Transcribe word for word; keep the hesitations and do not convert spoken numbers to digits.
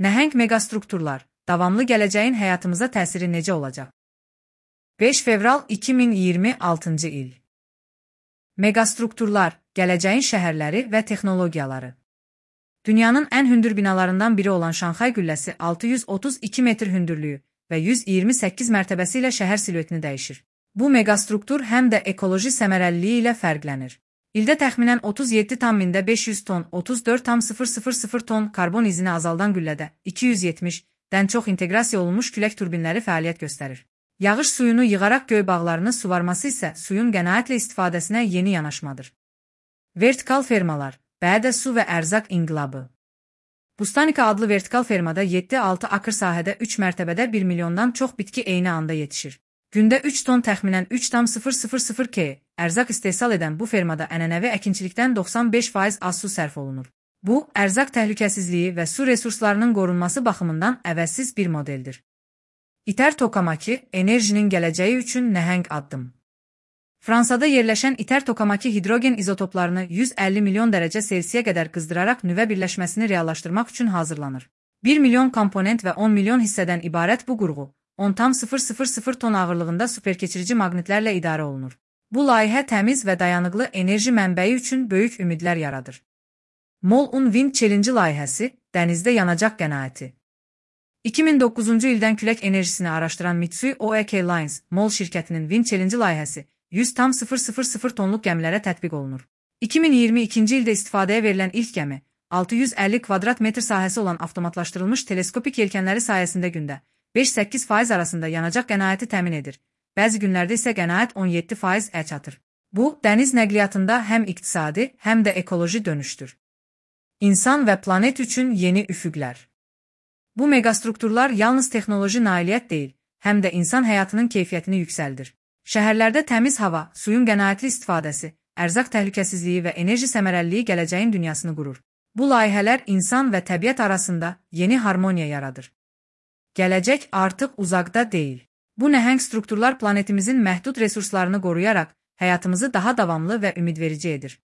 Nəhəng megastrukturlar, davamlı gələcəyin həyatımıza təsiri necə olacaq? beş fevral iki min iyirmi altıncı il. Megastrukturlar, gələcəyin şəhərləri və texnologiyaları. Dünyanın ən hündür binalarından biri olan Şanxay qülləsi altı yüz otuz iki metr hündürlüyü və yüz iyirmi səkkiz mərtəbəsi ilə şəhər siluetini dəyişir. Bu megastruktur həm də ekoloji səmərəliliyi ilə fərqlənir. İldə təxminən otuz yeddi tam mində beş yüz ton, otuz dörd tam sıfır sıfır sıfır ton karbon izini azaldan qüllədə iki yüz yetmişdən çox inteqrasiya olunmuş külək turbinləri fəaliyyət göstərir. Yağış suyunu yığaraq göy bağlarını suvarması isə suyun qənaətlə istifadəsinə yeni yanaşmadır. Vertikal fermalar, bədə su və ərzaq inqilabı. Bustanika adlı vertikal fermada yeddi altı akr sahədə üç mərtəbədə bir milyondan çox bitki eyni anda yetişir. Gündə üç ton təxminən üç tam sıfır sıfır sıfır kilogramм ərzaq istehsal edən bu fermada ənənəvi əkinçilikdən doxsan beş faiz az su sərf olunur. Bu, ərzaq təhlükəsizliyi və su resurslarının qorunması baxımından əvəzsiz bir modeldir. İtər Tokamaki, enerjinin gələcəyi üçün nəhəng addım. Fransada yerləşən İtər Tokamaki hidrogen izotoplarını yüz əlli milyon dərəcə Selsiyə qədər qızdıraraq nüvə birləşməsini reallaşdırmaq üçün hazırlanır. bir milyon komponent və on milyon hissədən ibarət bu qurğu, on tam sıfır sıfır sıfır ton ağırlığında superkeçirici maqnitlərlə idarə olunur. Bu layihə təmiz və dayanıqlı enerji mənbəyi üçün böyük ümidlər yaradır. Mol-Un Wind Challenge layihəsi, dənizdə yanacaq qənaəti. iki min doqquzuncu ildən külək enerjisini araşdıran Mitsui O E K Lines, Mol şirkətinin Wind Challenge layihəsi yüz tam sıfır sıfır sıfır tonluq gəmilərə tətbiq olunur. iki min iyirmi ikinci ildə istifadəyə verilən ilk gəmi, altı yüz əlli kvadrat metr sahəsi olan avtomatlaşdırılmış teleskopik yelkənləri sayəsində gündə beş səkkiz faiz arasında yanacaq qənaəti təmin edir. Bəzi günlərdə isə qənaət on yeddi faiz-ə çatır. Bu, dəniz nəqliyyatında həm iqtisadi, həm də ekoloji dönüşdür. İnsan və planet üçün yeni üfüqlər. Bu megastrukturlar yalnız texnoloji nailiyyət deyil, həm də insan həyatının keyfiyyətini yüksəldir. Şəhərlərdə təmiz hava, suyun qənaətli istifadəsi, ərzaq təhlükəsizliyi və enerji səmərəliliyi gələcəyin dünyasını qurur. Bu layihələr insan və təbiət arasında yeni harmoniya yaradır. Gələcək artıq uzaqda deyil. Bu nəhəng strukturlar planetimizin məhdud resurslarını qoruyaraq həyatımızı daha davamlı və ümidverici edir.